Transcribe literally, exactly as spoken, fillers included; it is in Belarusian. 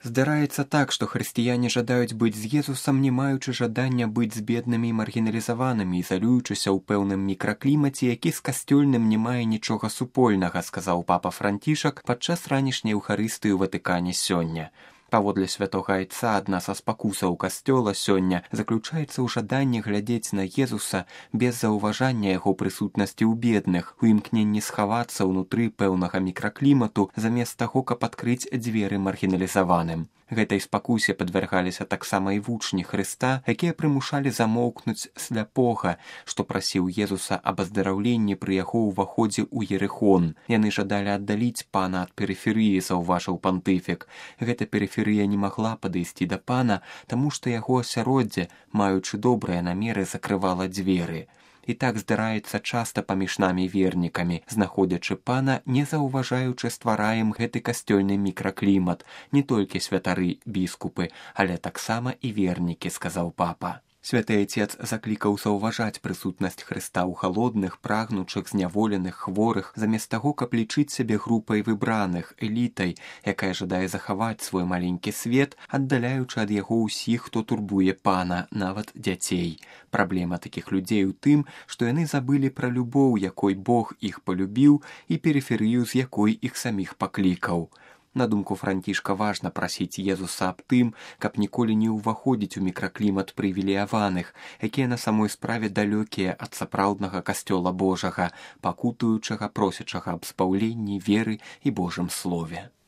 Здараецца так, што хрысціяне жадаюць быць з Езусам, не маючы жадання быць з беднымі і маргіналізаванымі, ізалюючыся ў пэўным мікраклімаце, які з касцёльным не мае нічога супольнага, сказаў папа Францішак падчас ранішняй эўхарыстыі ў Ватыкане сёння. Паводле святога айца, адна са спакусаў касцёла сёння заключаецца ў жаданні глядзець на Езуса без заўважання яго прысутнасці ў бедных, у імкненні схавацца ўнутры пэўнага мікраклімату замест таго, каб адкрыць дзверы маргіналізаваным. Гэтай спакусе падвяргаліся таксама і вучні Хрыста, якія прымушалі замоўкнуць сляпога, што прасіў Езуса аб аздараўленні пры яго ўваходзе ў Ерыхон. Яны жадалі аддаліць пана ад перыферыі, заўважыў пантыфік. Гэта перыферыя не магла падысці да пана, таму што яго асяроддзе, маючы добрыя намеры, закрывала дзверы. І так здараецца часта паміж намі вернікамі, знаходзячы пана, не заўважаючы ствараем гэты касцёльны мікраклімат, не толькі святары, біскупы, але таксама і вернікі, сказаў папа. Святы Айцец заклікаў заўважаць прысутнасць Хрыста ў халодных, прагнучых, зняволеных, хворых, замест таго, каб лічыць сябе групай выбраных, элітай, якая жадае захаваць свой маленькі свет, аддаляючы ад яго ўсіх, хто турбуе пана, нават дзяцей. Праблема такіх людзей у тым, што яны забылі пра любоў, якой Бог іх палюбіў, і перыферыю, з якой іх саміх паклікаў. На думку Францішка, важна прасіць Езуса аб тым, каб ніколі не ўваходзіць у мікраклімат прывілеяваных, якія на самой справе далёкія ад сапраўднага касцёла Божага, пакутуючага, просячага аб спаўленні, веры і Божым слове.